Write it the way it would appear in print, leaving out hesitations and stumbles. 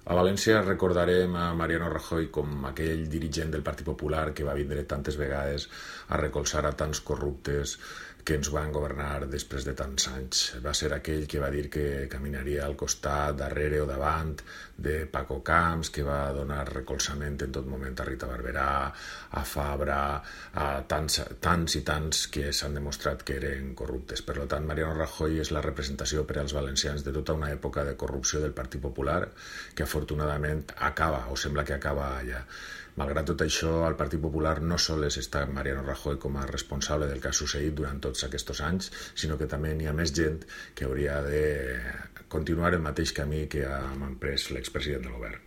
A València recordarem a Mariano Rajoy com aquell dirigent del Partit Popular que va vindre tantes vegades a recolzar a tants corruptes que ens van governar després de tants anys. Va ser aquell que va dir que caminaria al costat, darrere o davant de Paco Camps, que va donar recolzament en tot moment a Rita Barberà, a Fabra, a tants i tants que s'han demostrat que eren corruptes. Per tant, Mariano Rajoy és la representació per als valencians de tota una època de corrupció del Partit Popular que afortunadament acaba, o sembla que acaba allà. Malgrat tot això, al Partit Popular no sols està Mariano Rajoy com a responsable del que ha succeït durant tots aquests anys, sinó que també n'hi ha més gent que hauria de continuar el mateix camí que ha emprès l'expresident del govern.